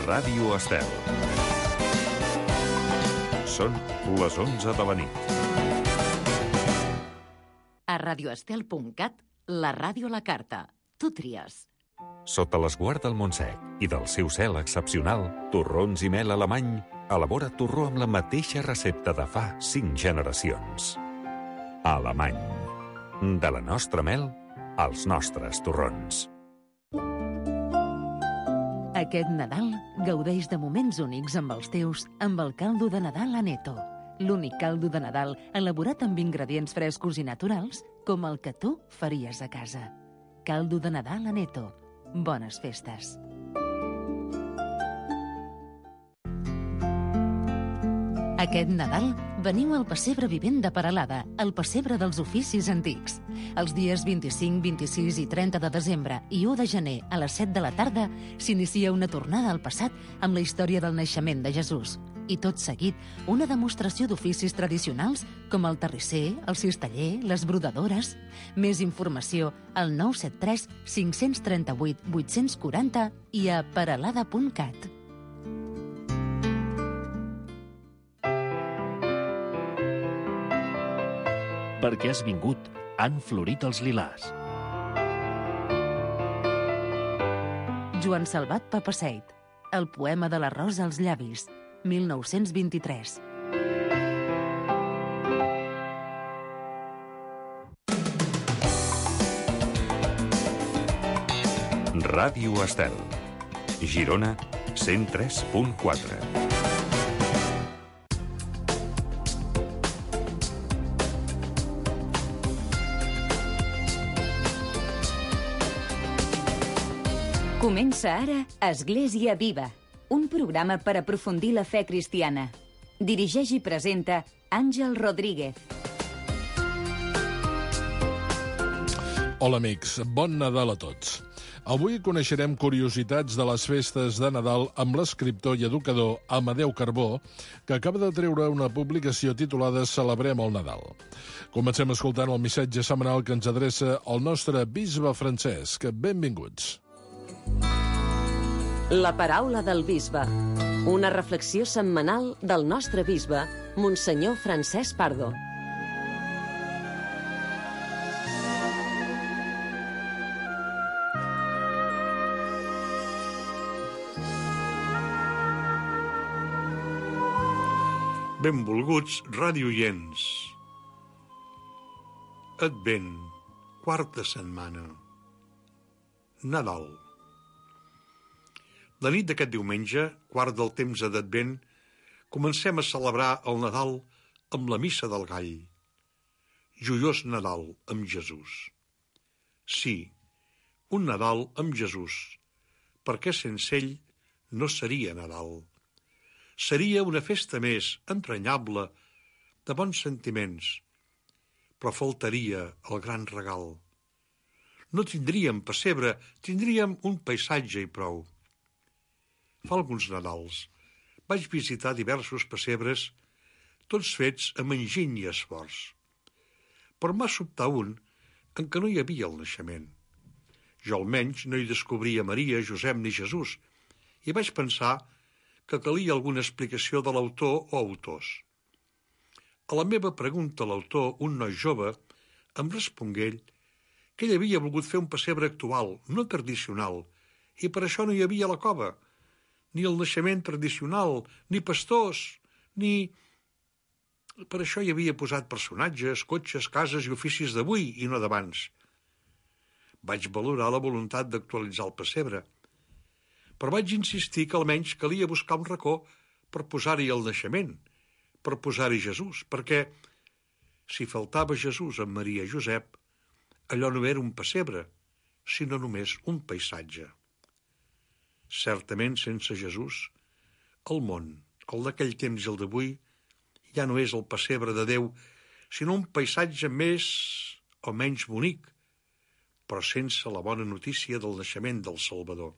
Ràdio Estel. Són les 11 de la nit. A radioestel.cat, la ràdio a la carta. Tu tries. Sota l'esguard del Montsec i del seu cel excepcional, Torrons i Mel Alemany elabora torró amb la mateixa recepta de fa 5 generacions. Alemany. De la nostra mel als nostres torrons. Aquest Nadal gaudeix de moments únics amb els teus amb el caldo de Nadal Aneto. L'únic caldo de Nadal elaborat amb ingredients frescos i naturals com el que tu faries a casa. Caldo de Nadal Aneto. Bones festes. Aquest Nadal veniu al Pessebre Vivent de Peralada, el pessebre dels oficis antics. Els dies 25, 26 i 30 de desembre i 1 de gener a les 7 de la tarda s'inicia una tornada al passat amb la història del naixement de Jesús. I tot seguit, una demostració d'oficis tradicionals com el terrisser, el cisteller, les brodadores. Més informació al 973 538 840 i a peralada.cat. Perquè has vingut, han florit els lilars. Joan Salvat Papaseit. El poema de la rosa als llavis. 1923. Ràdio Estel. Girona, 103.4. Comença ara Església Viva, un programa per aprofundir la fe cristiana. Dirigeix i presenta Àngel Rodríguez. Hola amics, bon Nadal a tots. Avui coneixerem curiositats de les festes de Nadal amb l'escriptor i educador Amadeu Carbó, que acaba de treure una publicació titulada Celebrem el Nadal. Comencem escoltant el missatge setmanal que ens adreça el nostre bisbe Francesc. Benvinguts. La paraula del bisbe. Una reflexió setmanal del nostre bisbe, Monsenyor Francesc Pardo. Benvolguts radioients. Advent, quarta setmana. Nadal. La nit d'aquest diumenge, quart del temps d'Advent, comencem a celebrar el Nadal amb la missa del gall. Joiós Nadal amb Jesús. Sí, un Nadal amb Jesús, perquè sense ell no seria Nadal. Seria una festa més entranyable, de bons sentiments, però faltaria el gran regal. No tindríem pessebre, tindríem un paisatge i prou. Fa alguns Nadals vaig visitar diversos pessebres, tots fets amb enginy i esforç. Però m'ha sobtat un en què no hi havia el naixement. Jo almenys no hi descobria Maria, Josep ni Jesús, i vaig pensar que calia alguna explicació de l'autor o autors. A la meva pregunta a l'autor, un noi jove, em respongué ell que ell havia volgut fer un pessebre actual, no tradicional, i per això no hi havia la cova, ni el naixement tradicional, ni pastors, ni... Per això hi havia posat personatges, cotxes, cases i oficis d'avui i no d'abans. Vaig valorar la voluntat d'actualitzar el pessebre, però vaig insistir que almenys calia buscar un racó per posar-hi el naixement, per posar-hi Jesús, perquè si faltava Jesús amb Maria i Josep, allò no era un pessebre, sinó només un paisatge. Certament, sense Jesús, el món, el d'aquell temps i el d'avui, ja no és el pessebre de Déu, sinó un paisatge més o menys bonic, però sense la bona notícia del naixement del Salvador.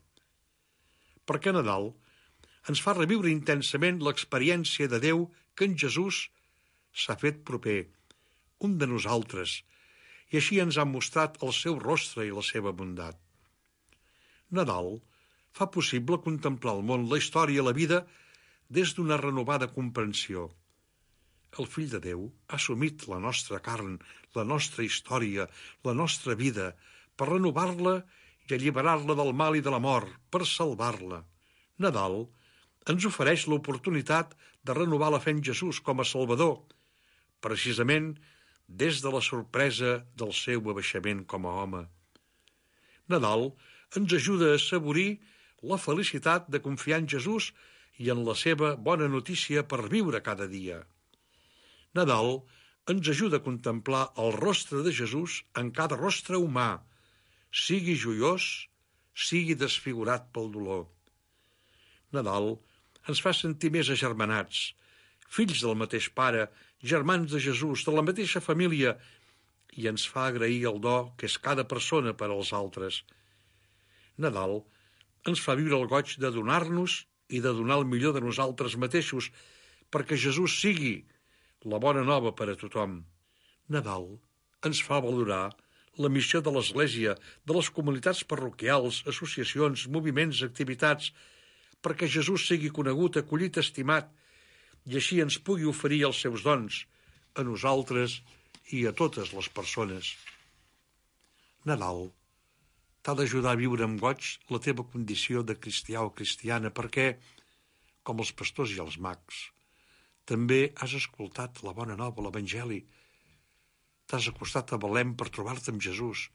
Perquè Nadal ens fa reviure intensament l'experiència de Déu que en Jesús s'ha fet proper, un de nosaltres, i així ens ha mostrat el seu rostre i la seva bondat. Nadal fa possible contemplar el món, la història, la vida, des d'una renovada comprensió. El Fill de Déu ha assumit la nostra carn, la nostra història, la nostra vida, per renovar-la i alliberar-la del mal i de la mort, per salvar-la. Nadal ens ofereix l'oportunitat de renovar la fe en Jesús com a Salvador, precisament des de la sorpresa del seu abaixament com a home. Nadal ens ajuda a assaborir la felicitat de confiar en Jesús i en la seva bona notícia per viure cada dia. Nadal ens ajuda a contemplar el rostre de Jesús en cada rostre humà, sigui joiós, sigui desfigurat pel dolor. Nadal ens fa sentir més agermanats, fills del mateix pare, germans de Jesús, de la mateixa família, i ens fa agrair el do que és cada persona per als altres. Nadal ens fa viure el goig de donar-nos i de donar el millor de nosaltres mateixos perquè Jesús sigui la bona nova per a tothom. Nadal ens fa valorar la missió de l'Església, de les comunitats parroquials, associacions, moviments, activitats, perquè Jesús sigui conegut, acollit, estimat, i així ens pugui oferir els seus dons a nosaltres i a totes les persones. Nadal t'ha d'ajudar a viure amb goig la teva condició de cristià o cristiana perquè, com els pastors i els mags, també has escoltat la bona nova, l'Evangeli. T'has acostat a Belém per trobar-te amb Jesús,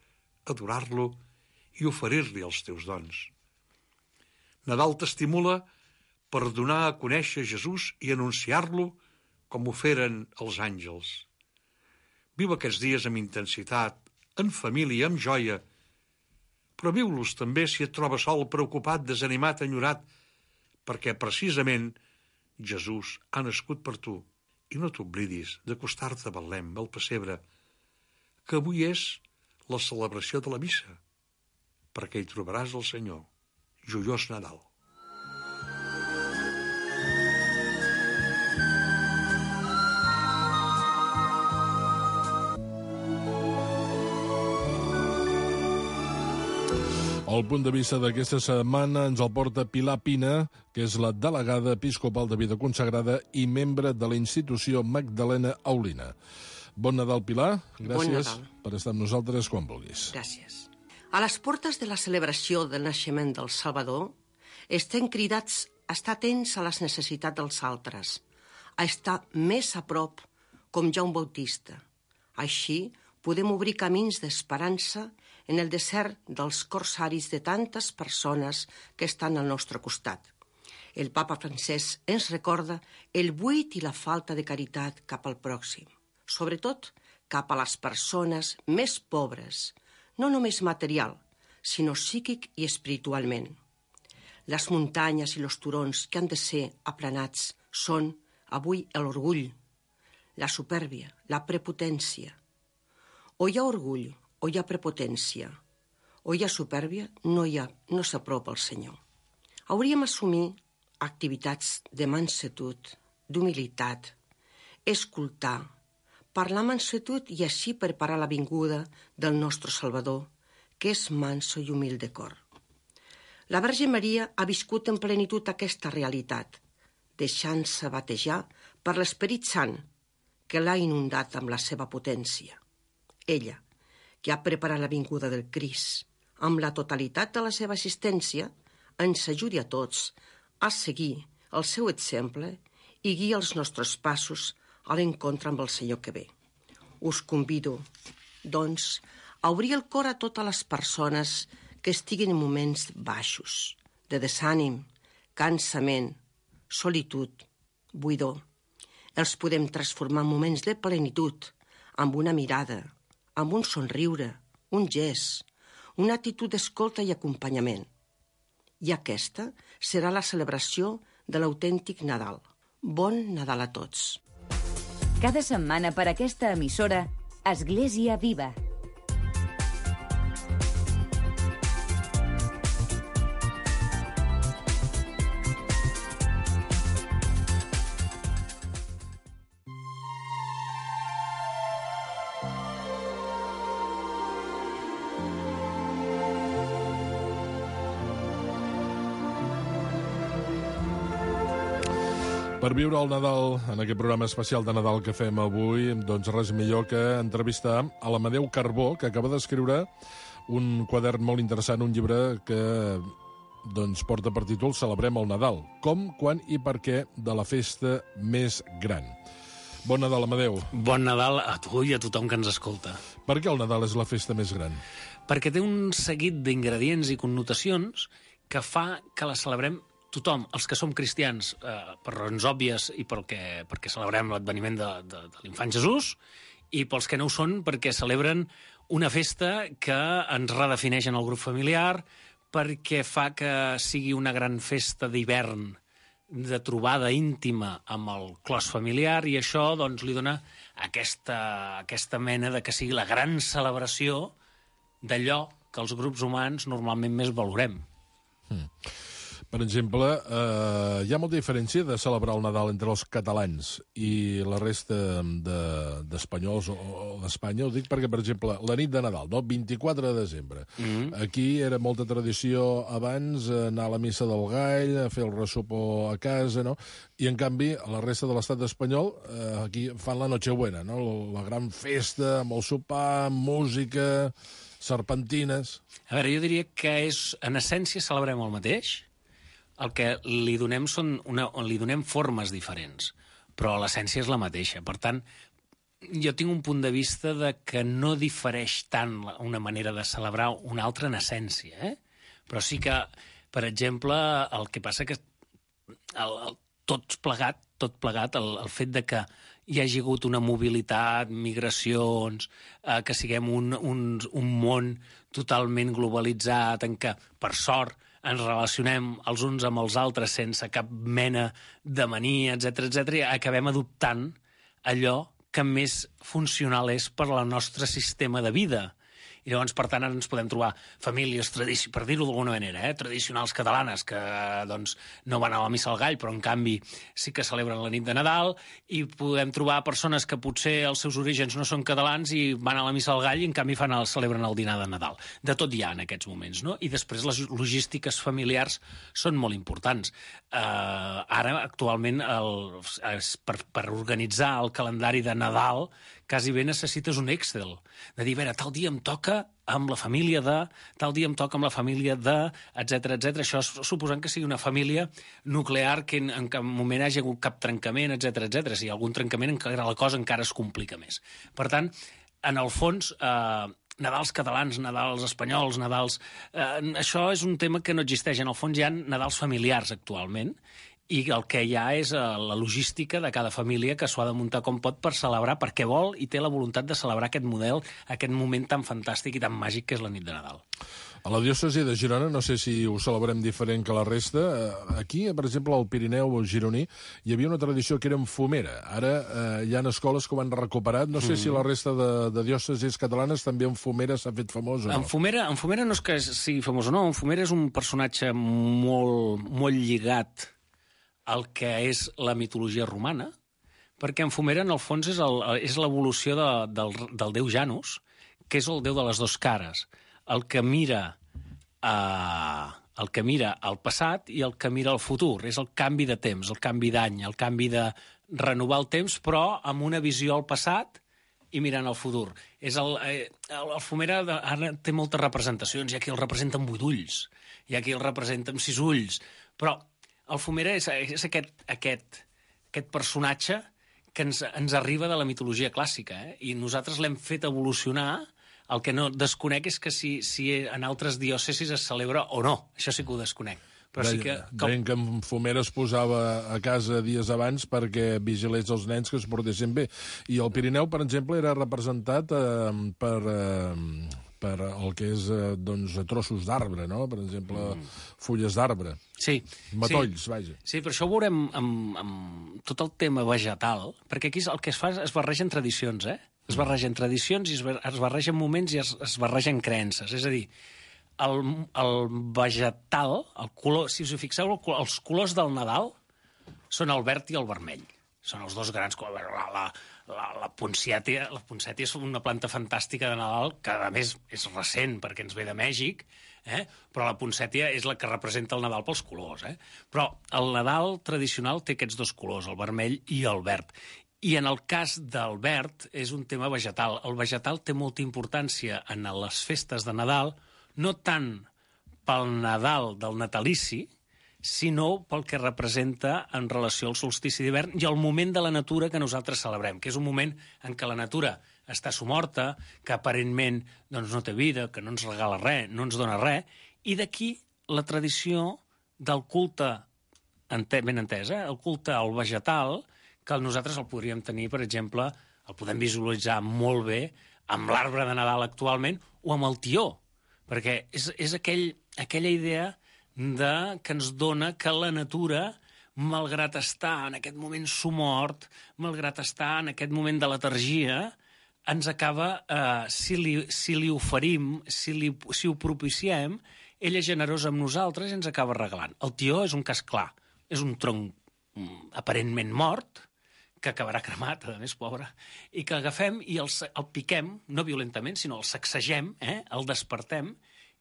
adorar-lo i oferir-li els teus dons. Nadal t'estimula per donar a conèixer Jesús i anunciar-lo com ho feren els àngels. Viu aquests dies amb intensitat, en família, amb joia, però viu-los també si et trobes sol, preocupat, desanimat, enyorat, perquè precisament Jesús ha nascut per tu. I no t'oblidis d'acostar-te a Betlem, al pessebre, que avui és la celebració de la missa, perquè hi trobaràs el Senyor. Joiós Nadal. El punt de vista d'aquesta setmana ens el porta Pilar Pina, que és la delegada episcopal de vida consagrada i membre de la institució Magdalena Aulina. Bon Nadal, Pilar. Gràcies per estar amb nosaltres quan vulguis. Gràcies. A les portes de la celebració del naixement del Salvador, estem cridats a estar atents a les necessitats dels altres, a estar més a prop com Joan Bautista. Així podem obrir camins d'esperança en el desert dels corsaris de tantes persones que estan al nostre costat. El papa Francesc ens recorda el buit i la falta de caritat cap al pròxim, sobretot cap a les persones més pobres, no només material, sinó psíquic i espiritualment. Les muntanyes i els turons que han de ser aplanats són, avui, l'orgull, la supèrbia, la prepotència. O hi ha orgull, o hi ha prepotència, o hi ha supèrbia, no s'apropa al Senyor. Hauríem d'assumir activitats de mansetud, d'humilitat, escoltar, parlar amb mansetud i així preparar la vinguda del nostre Salvador, que és manso i humil de cor. La Verge Maria ha viscut en plenitud aquesta realitat, deixant-se batejar per l'Esperit Sant, que l'ha inundat amb la seva potència. Ella, que ha preparat la vinguda del Crist, amb la totalitat de la seva assistència, ens ajudi a tots a seguir el seu exemple i guia els nostres passos a l'encontre amb el Senyor que ve. Us convido, doncs, a obrir el cor a totes les persones que estiguin en moments baixos, de desànim, cansament, solitud, buidor. Els podem transformar en moments de plenitud, amb una mirada, amb un somriure, un gest, una actitud d'escolta i acompanyament. I aquesta serà la celebració de l'autèntic Nadal. Bon Nadal a tots. Cada setmana per aquesta emissora, Església Viva. Per viure el Nadal, en aquest programa especial de Nadal que fem avui, doncs res millor que entrevistar a l'Amadeu Carbó, que acaba d'escriure un quadern molt interessant, un llibre que doncs, porta per títol Celebrem el Nadal. Com, quan i per què de la festa més gran. Bon Nadal, Amadeu. Bon Nadal a tu i a tothom que ens escolta. Per què el Nadal és la festa més gran? Perquè té un seguit d'ingredients i connotacions que fa que la celebrem tothom, els que som cristians, per raons òbvies i perquè celebrem l'adveniment de l'infant Jesús, i pels que no ho són perquè celebren una festa que ens redefineix en el grup familiar, perquè fa que sigui una gran festa d'hivern, de trobada íntima amb el clos familiar, i això doncs, li dona aquesta mena de que sigui la gran celebració d'allò que els grups humans normalment més valorem. Per exemple, hi ha molta diferència de celebrar el Nadal entre els catalans i la resta d'espanyols o d'Espanya. Ho dic perquè, per exemple, la nit de Nadal, no? 24 de desembre. Aquí era molta tradició abans anar a la missa del Gall, a fer el ressopó a casa, no? I, en canvi, a la resta de l'estat espanyol, aquí fan la Nochebuena, no? La gran festa, amb el sopar, amb música, serpentines... A veure, jo diria que en essència celebrem el mateix. El que li donem li donem formes diferents, però l'essència és la mateixa. Per tant, jo tinc un punt de vista de que no difereix tant una manera de celebrar una altra en essència, Però sí que, per exemple, el que passa que tot plegat, el fet de que hi hagi hagut una mobilitat, migracions, que siguem un món totalment globalitzat, en què, per sort, ens relacionem els uns amb els altres sense cap mena de mania, etc, i acabem adoptant allò que més funcional és per al nostre sistema de vida. I llavors, per tant, ara ens podem trobar famílies, per dir-ho d'alguna manera, tradicionals catalanes, que doncs, no van a la missa al Gall, però en canvi sí que celebren la nit de Nadal, i podem trobar persones que potser els seus orígens no són catalans i van a la missa al Gall i en canvi celebren el dinar de Nadal. De tot hi ha en aquests moments, no? I després les logístiques familiars són molt importants. Ara, actualment, per organitzar el calendari de Nadal, quasi bé necessites un Excel, de dir, a veure, tal dia em toca amb la família de, tal dia em toca amb la família de, etc. Això suposant que sigui una família nuclear que en cap moment hagi hagut cap trencament, etc. Si hi ha algun trencament, la cosa encara es complica més. Per tant, en el fons, Nadals catalans, Nadals espanyols, Nadals... això és un tema que no existeix. En el fons hi ha Nadals familiars actualment, i el que hi ha és la logística de cada família que s'ho ha de muntar com pot per celebrar perquè vol i té la voluntat de celebrar aquest model, aquest moment tan fantàstic i tan màgic que és la nit de Nadal. A la diòcesi de Girona, no sé si ho celebrem diferent que la resta, aquí, per exemple, al Pirineu gironí, hi havia una tradició que era en fumera. Ara hi ha escoles que ho han recuperat. No sé si la resta de diòcesis catalanes també en fumera s'ha fet famós o no. En fumera no és que sigui famós o no. En fumera és un personatge molt, molt lligat el que és la mitologia romana, perquè en fumera, en el fons, és l'evolució del déu Janus, que és el déu de les dues cares, el que mira al passat i el que mira al futur. És el canvi de temps, el canvi d'any, el canvi de renovar el temps, però amb una visió al passat i mirant al futur. El fumera ara té moltes representacions. Hi ha qui el representa amb 8 ulls, hi ha qui el representa amb 6 ulls, però el fumera és aquest personatge que ens arriba de la mitologia clàssica, i nosaltres l'hem fet evolucionar. El que no desconec és que si en altres diòcesis es celebra o no. Això sí que ho desconec. Però sí que... Deien que en fumera es posava a casa dies abans perquè vigilés els nens que es portessin bé. I el Pirineu, per exemple, era representat per el que és trossos d'arbre, no? Per exemple, fulles d'arbre. Sí. Matolls, vaja. Sí, però això ho veurem amb tot el tema vegetal, perquè aquí el que es fa es barregen tradicions, Es barregen tradicions i es barregen moments i es barregen creences. És a dir, el vegetal, el color, si us hi fixeu, els colors del Nadal són el verd i el vermell. Són els dos grans colors. La poncètia és una planta fantàstica de Nadal, que a més és recent perquè ens ve de Mèxic, però la poncètia és la que representa el Nadal pels colors. Però el Nadal tradicional té aquests dos colors, el vermell i el verd. I en el cas del verd és un tema vegetal. El vegetal té molta importància en les festes de Nadal, no tant pel Nadal del natalici, sinó pel que representa en relació al solstici d'hivern i al moment de la natura que nosaltres celebrem, que és un moment en què la natura està somorta, que aparentment doncs, no té vida, que no ens regala res, no ens dona res, i d'aquí la tradició del culte, ben entès, el culte al vegetal, que nosaltres el podríem tenir, per exemple, el podem visualitzar molt bé amb l'arbre de Nadal actualment o amb el tió, perquè és aquella idea que ens dona que la natura, malgrat estar en aquest moment somort, malgrat estar en aquest moment de letargia, ens acaba, si li oferim, si ho propiciem, ella és generosa amb nosaltres i ens acaba regalant. El tió és un cas clar, és un tronc aparentment mort, que acabarà cremat, a més, pobre, i que agafem i el piquem, no violentament, sinó el sacsegem, el despertem,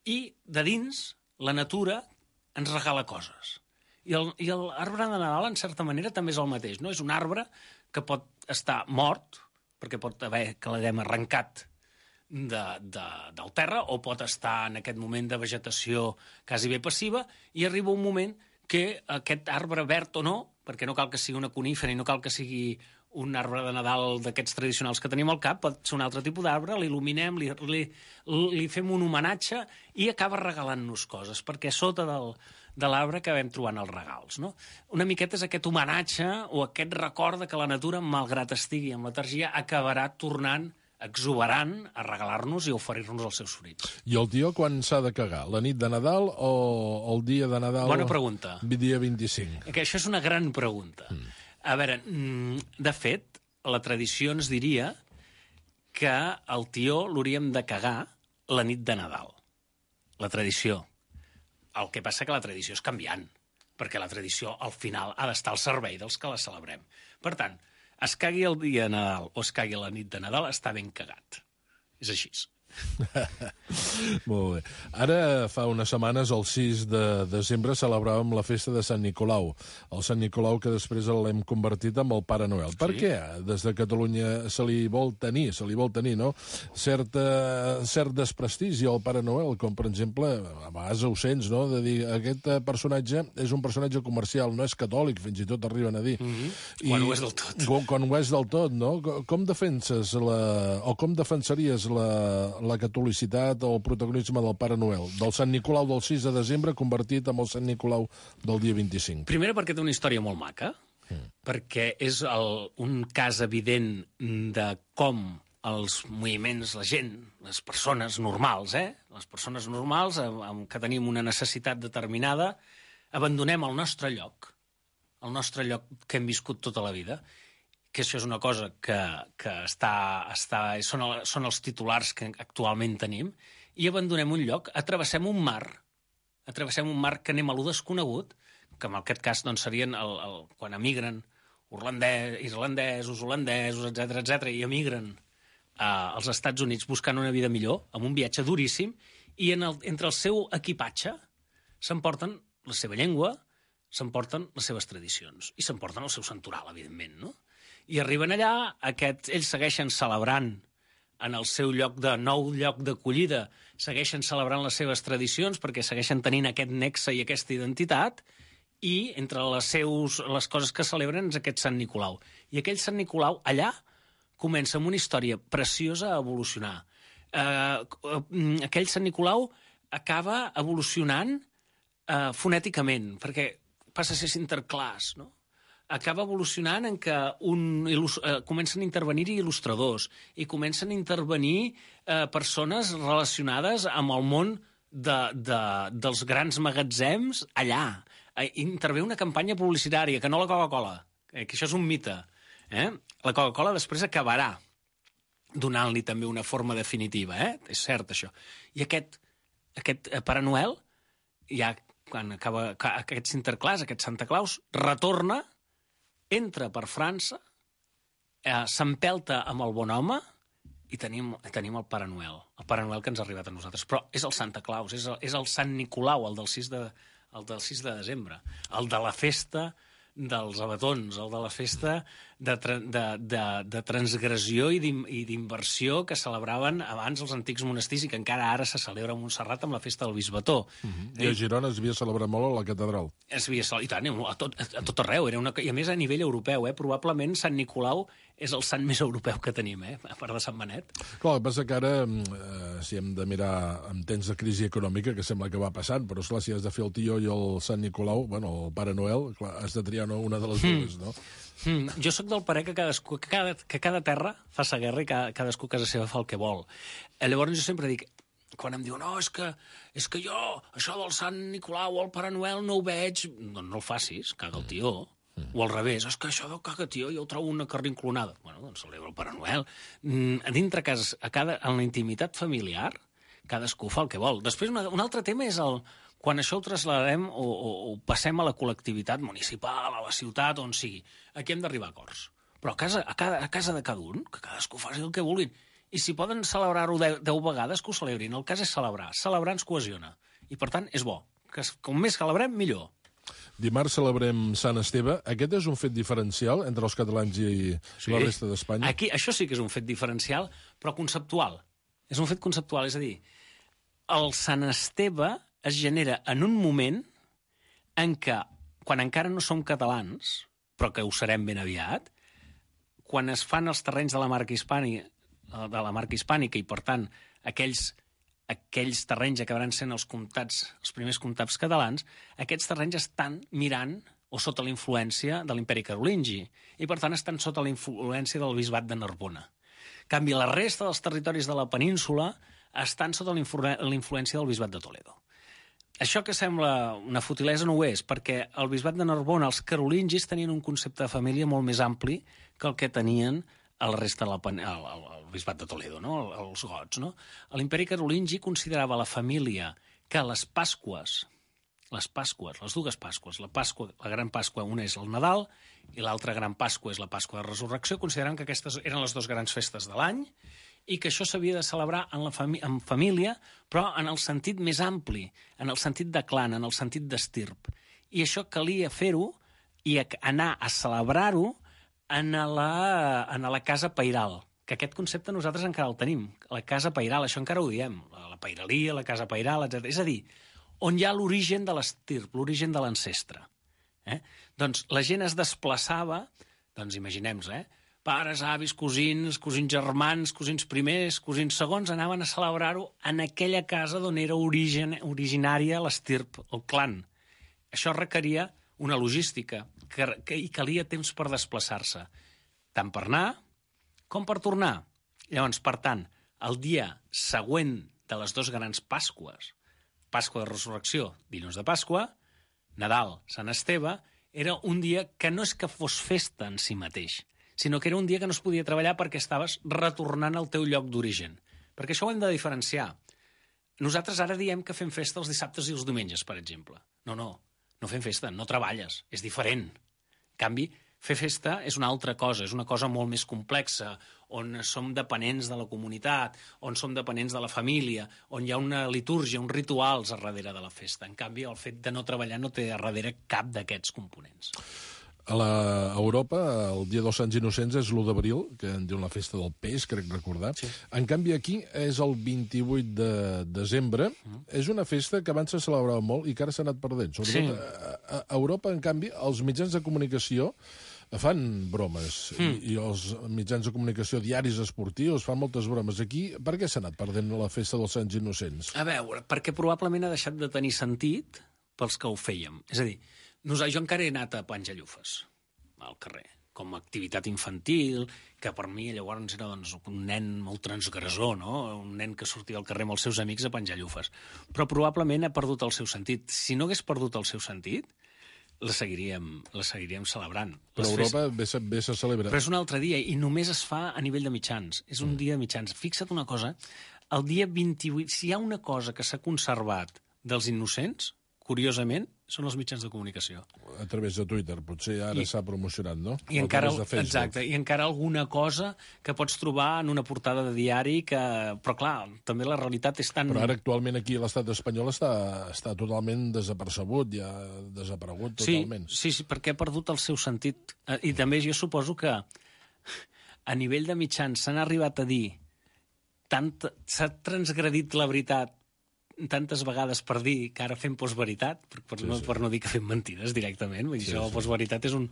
i de dins la natura ens regala coses. I l'arbre de Nadal, en certa manera, també és el mateix. No? És un arbre que pot estar mort, perquè pot haver que l'haguem arrencat del terra, o pot estar en aquest moment de vegetació quasi bé passiva, i arriba un moment que aquest arbre verd o no, perquè no cal que sigui una conífera i no cal que sigui un arbre de Nadal d'aquests tradicionals que tenim al cap, pot ser un altre tipus d'arbre, l'il·luminem, li fem un homenatge i acaba regalant-nos coses, perquè sota de l'arbre acabem trobant els regals. No? Una miqueta és aquest homenatge o aquest record que la natura, malgrat estigui amb letargia, acabarà tornant exuberant a regalar-nos i a oferir-nos els seus fruits. I el tió quan s'ha de cagar? La nit de Nadal o el dia de Nadal? Bona pregunta. Dia 25. Que això és una gran pregunta. A veure, de fet, la tradició ens diria que el tió l'hauríem de cagar la nit de Nadal. La tradició. El que passa que la tradició és canviant, perquè la tradició, al final, ha d'estar al servei dels que la celebrem. Per tant, es cagui el dia de Nadal o es cagui la nit de Nadal, està ben cagat. És així. Molt bé. Ara, fa unes setmanes, el 6 de desembre, celebràvem la festa de Sant Nicolau. El Sant Nicolau que després l'hem convertit en el Pare Noel. Sí. Per què? Des de Catalunya se li vol tenir, no? Cert desprestigi al Pare Noel, com per exemple, a vegades ho sents, no?, de dir, aquest personatge és un personatge comercial, no és catòlic, fins i tot arriben a dir. Quan ho és del tot. Quan ho és del tot, no? Com defenses o com defensaries la catolicitat o el protagonisme del Pare Noel, del Sant Nicolau del 6 de desembre convertit en el Sant Nicolau del dia 25? Primera perquè té una història molt maca, perquè és un cas evident de com els moviments, la gent, les persones normals, les persones normals que tenim una necessitat determinada, abandonem el nostre lloc que hem viscut tota la vida, que això és una cosa que són els titulars que actualment tenim, i abandonem un lloc, travessem un mar que anem a lo desconegut, que en aquest cas doncs, serien quan emigren irlandesos, holandesos, etc, i emigren als Estats Units buscant una vida millor, amb un viatge duríssim, i entre el seu equipatge s'emporten la seva llengua, s'emporten les seves tradicions, i s'emporten el seu santoral, evidentment, no? I arriben allà, ells segueixen celebrant en el seu nou lloc d'acollida, segueixen celebrant les seves tradicions perquè segueixen tenint aquest nexe i aquesta identitat, i entre les coses que celebren és aquest Sant Nicolau. I aquell Sant Nicolau allà comença amb una història preciosa a evolucionar. Aquell Sant Nicolau acaba evolucionant fonèticament, perquè passa a ser interclass, no? Acaba evolucionant en què comencen a intervenir-hi il·lustradors i comencen a intervenir persones relacionades amb el món dels grans magatzems allà. Intervé una campanya publicitària, que no la Coca-Cola, que això és un mite. La Coca-Cola després acabarà donant-li també una forma definitiva, és cert això. I aquest Pare Noel, ja quan acaba aquest Sinterklaas, aquest Santa Claus, retorna, entra per França s'empelta amb el bon home i tenim el Pare Noel. El Pare Noel que ens ha arribat a nosaltres. Però és el Santa Claus, és el Sant Nicolau, el del 6 de desembre. El de la festa dels abatons, el de la festa de transgressió i d'inversió que celebraven abans els antics monestirs i que encara ara se celebra a Montserrat amb la festa del Bisbató. I a Girona es havia celebrat molt a la catedral. I tant, a tot arreu. I a més a nivell europeu, probablement Sant Nicolau és el sant més europeu que tenim, a part de Sant Benet. Clar, el que passa que ara, si hem de mirar en temps de crisi econòmica, que sembla que va passant, però esclar, si has de fer el tió i el Sant Nicolau, bueno, el Pare Noel, clar, has de triar una de les dues, no? Jo sóc del parer que cada terra fa sa guerra i cadascú a casa seva fa el que vol. Llavors jo sempre dic, quan em diuen, no, és que jo, això del Sant Nicolau o el Pare Noel no ho veig, doncs no el facis, caga el tió. O al revés, és que això del caga tió jo ho trobo una carrinclonada. Bueno, doncs celebra el Pare Noel. A dintre casa, en la intimitat familiar, cadascú fa el que vol. Després, un altre tema és quan això ho trasladem o passem a la col·lectivitat municipal, a la ciutat, on sigui. Aquí hem d'arribar a acords. Però a casa de cada un, que cadascú faci el que vulguin. I si poden celebrar-ho 10 vegades, que ho celebrin. El cas és celebrar. Celebrar ens cohesiona. I, per tant, és bo. Com més celebrem, millor. Dimarts celebrem Sant Esteve. Aquest és un fet diferencial entre els catalans i la resta d'Espanya? Això sí que és un fet diferencial, però conceptual. És un fet conceptual, és a dir, el Sant Esteve es genera en un moment en què, quan encara no som catalans, però que ho serem ben aviat, quan es fan els terrenys de la marca hispànica i, per tant, aquells terrenys acabaran sent els primers comtats catalans, aquests terrenys estan mirant o sota la influència de l'imperi carolingi i, per tant, estan sota la influència del bisbat de Narbona. En canvi, la resta dels territoris de la península estan sota la influència del bisbat de Toledo. Això que sembla una futilesa no ho és, perquè el bisbat de Narbona, els carolingis, tenien un concepte de família molt més ampli que el que tenien el resta el bisbat de Toledo, no? Els gots, no? L'imperi carolingi considerava la família que les dues Pasques, la gran Pasqua, una és el Nadal i l'altra gran Pasqua és la Pasqua de Resurrecció, consideraven que aquestes eren les dues grans festes de l'any i que això s'havia de celebrar en família, però en el sentit més ampli, en el sentit de clan, en el sentit d'estirp. I això calia fer-ho i anar a celebrar-ho en la casa pairal, que aquest concepte nosaltres encara el tenim, la casa pairal, això encara ho diem, la pairalia, la casa pairal, etc. És a dir, on hi ha l'origen de l'estirp, l'origen de l'ancestre. Doncs la gent es desplaçava, doncs imaginem-nos, pares, avis, cosins germans, cosins primers, cosins segons, anaven a celebrar-ho en aquella casa d'on era originària l'estirp, el clan. Això requeria una logística i calia temps per desplaçar-se, tant per anar com per tornar. Llavors, per tant, el dia següent de les dues grans Pasques, Pasqua de Resurrecció, dilluns de Pasqua, Nadal, Sant Esteve, era un dia que no és que fos festa en si mateix, sinó que era un dia que no es podia treballar perquè estaves retornant al teu lloc d'origen. Perquè això ho hem de diferenciar. Nosaltres ara diem que fem festa els dissabtes i els diumenges, per exemple. No fem festa, no treballes, és diferent. En canvi, fer festa és una altra cosa, és una cosa molt més complexa, on som dependents de la comunitat, on som dependents de la família, on hi ha una litúrgia, uns rituals a darrere de la festa. En canvi, el fet de no treballar no té a darrere cap d'aquests components. A Europa, el dia dels Sants Innocents és l'1 d'abril, que en diuen la festa del peix, crec recordar. Sí. En canvi, aquí és el 28 de desembre. És una festa que abans se celebrava molt i que ara s'ha anat perdent. Sobretot a Europa, en canvi, els mitjans de comunicació fan bromes i els mitjans de comunicació diaris esportius fan moltes bromes. Aquí, per què s'ha anat perdent la festa dels Sants Innocents? A veure, perquè probablement ha deixat de tenir sentit pels que ho fèiem. És a dir, jo encara he anat a penjar llufes al carrer, com a activitat infantil, que per mi llavors era un nen molt transgressor, no? Un nen que sortia al carrer amb els seus amics a penjar llufes. Però probablement ha perdut el seu sentit. Si no hagués perdut el seu sentit, la seguiríem celebrant. Però a Europa bé se celebra. Però és un altre dia i només es fa a nivell de mitjans. És un dia de mitjans. Fixa't una cosa, el dia 28, si hi ha una cosa que s'ha conservat dels innocents, curiosament, són els mitjans de comunicació. A través de Twitter, potser ara s'ha promocionat, no? I encara, exacte, i encara alguna cosa que pots trobar en una portada de diari però clar, també la realitat és tan... Però ara actualment aquí a l'estat espanyol està totalment desapercebut, ja desaparegut totalment. Sí, perquè ha perdut el seu sentit. I també jo suposo que a nivell de mitjans s'han arribat a dir s'ha transgredit la veritat tantes vegades per dir que ara fem postveritat, per no dir que fem mentides directament. Vull dir, això, postveritat és un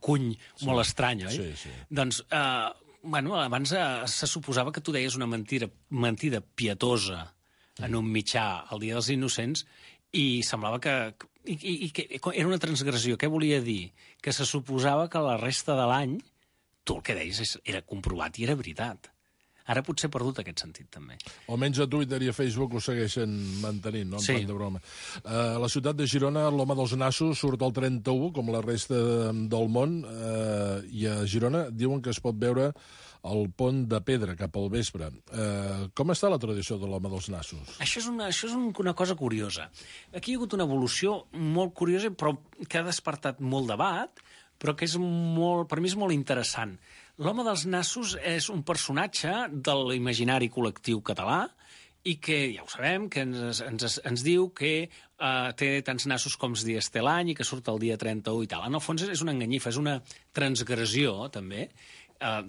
cuny molt estrany, oi? Sí. Doncs, abans se suposava que tu deies una mentida pietosa en un mitjà el Dia dels Innocents i semblava que era una transgressió. Què volia dir? Que se suposava que la resta de l'any tu el que deies era comprovat i era veritat. Ara potser ha perdut aquest sentit, també. Almenys a Twitter i a Facebook ho segueixen mantenint, no? En plan de broma. A la ciutat de Girona, l'home dels nassos surt al 31, com la resta del món, i a Girona diuen que es pot veure el pont de pedra cap al vespre. Com està la tradició de l'home dels nassos? Això és una cosa curiosa. Aquí hi ha hagut una evolució molt curiosa, però que ha despertat molt debat, però que per mi és molt interessant. L'home dels nassos és un personatge de l'imaginari col·lectiu català i que, ja ho sabem, que ens diu que té tants nassos com els dies té l'any i que surt el dia 31 i tal. En el fons és una enganyifa, és una transgressió, també.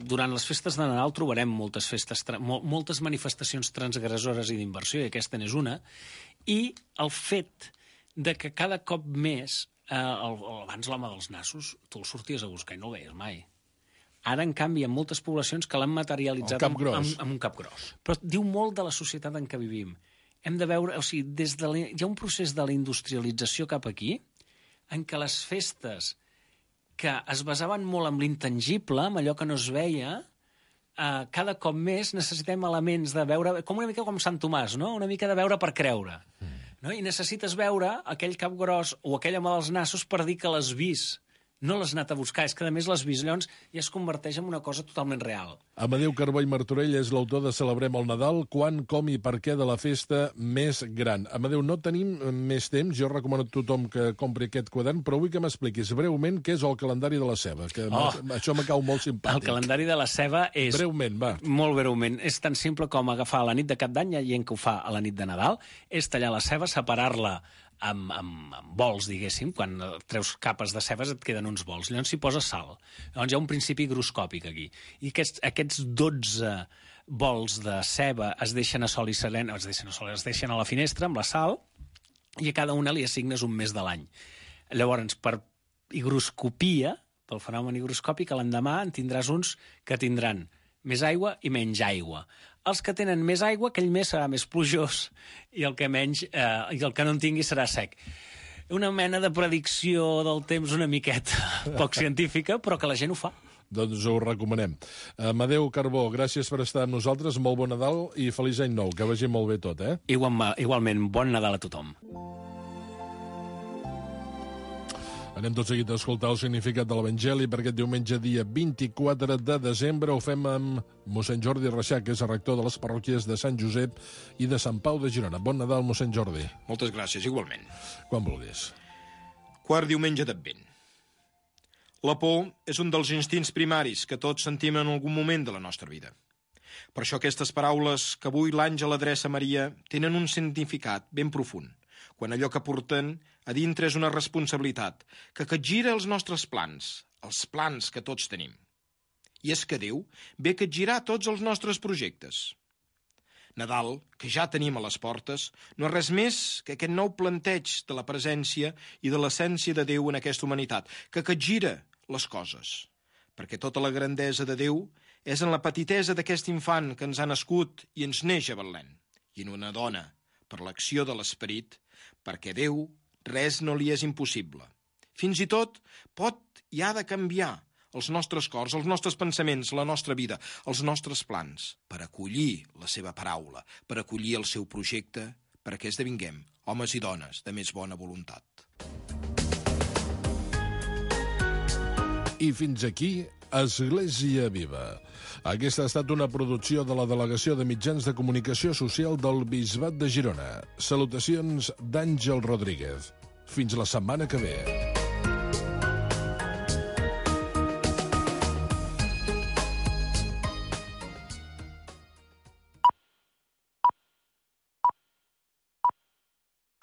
Durant les festes de Nadal trobarem moltes manifestacions transgressores i d'inversió, i aquesta n'és una, i el fet de que cada cop més, abans l'home dels nassos, tu el sorties a buscar i no el veies mai. Ara, en canvi, hi ha moltes poblacions que l'han materialitzat amb un cap gros. Però diu molt de la societat en què vivim. Hem de veure, hi ha un procés de la industrialització cap aquí, en què les festes que es basaven molt en l'intangible, en allò que no es veia, cada cop més necessitem elements de veure, com una mica com Sant Tomàs, no? Una mica de veure per creure. No? I necessites veure aquell cap gros o aquell home dels nassos per dir que l'has vist. No l'has anat a buscar, és que a més l'has vist, llavors ja es converteix en una cosa totalment real. Amadeu Carbó i Martorell és l'autor de Celebrem el Nadal, quan, com i per què de la festa més gran. Amadeu, no tenim més temps, jo recomano a tothom que compri aquest quadern, però vull que m'expliquis breument què és el calendari de la ceba, que això me cau molt simpàtic. El calendari de la ceba és... Breument, va. Molt breument. És tan simple com agafar la nit de Cap d'Any, hi ha gent que ho fa a la nit de Nadal, és tallar la ceba, separar-la amb bols, diguéssim. Quan treus capes de cebes et queden uns bols. Llavors s'hi posa sal. Llavors hi ha un principi higroscòpic aquí. I aquests 12 bols de ceba es deixen a sol i serena, es deixen a la finestra amb la sal, i a cada una li assignes un mes de l'any. Llavors, per higroscopia, pel fenomen higroscòpic, l'endemà en tindràs uns que tindran més aigua i menys aigua. Els que tenen més aigua, aquell mes serà més plujós, i el que no en tingui serà sec. Una mena de predicció del temps una miqueta poc científica, però que la gent ho fa. Doncs ho recomanem. Amadeu Carbó, gràcies per estar amb nosaltres, molt bon Nadal i feliç any nou, que vagi molt bé tot, eh? Igualment, bon Nadal a tothom. Anem tot seguit a escoltar el significat de l'Evangeli per aquest diumenge, dia 24 de desembre. Ho fem amb mossèn Jordi Reixac, que és el rector de les parròquies de Sant Josep i de Sant Pau de Girona. Bon Nadal, mossèn Jordi. Moltes gràcies, igualment. Quan vulguis. Quart diumenge d'Advent. La por és un dels instints primaris que tots sentim en algun moment de la nostra vida. Per això aquestes paraules que avui l'àngel adreça a Maria tenen un significat ben profund, quan allò que porten a dintre és una responsabilitat que capgira els nostres plans, els plans que tots tenim. I és que Déu ve a capgirar tots els nostres projectes. Nadal, que ja tenim a les portes, no és res més que aquest nou planteig de la presència i de l'essència de Déu en aquesta humanitat, que capgira les coses. Perquè tota la grandesa de Déu és en la petitesa d'aquest infant que ens ha nascut i ens neix a Betlem, i en una dona, per l'acció de l'Esperit, perquè Déu res no li és impossible. Fins i tot pot i ha de canviar els nostres cors, els nostres pensaments, la nostra vida, els nostres plans, per acollir la seva paraula, per acollir el seu projecte, perquè esdevinguem homes i dones de més bona voluntat. I fins aquí, Església Viva. Aquesta ha estat una producció de la Delegació de Mitjans de Comunicació Social del Bisbat de Girona. Salutacions d'Àngel Rodríguez. Fins la setmana que ve.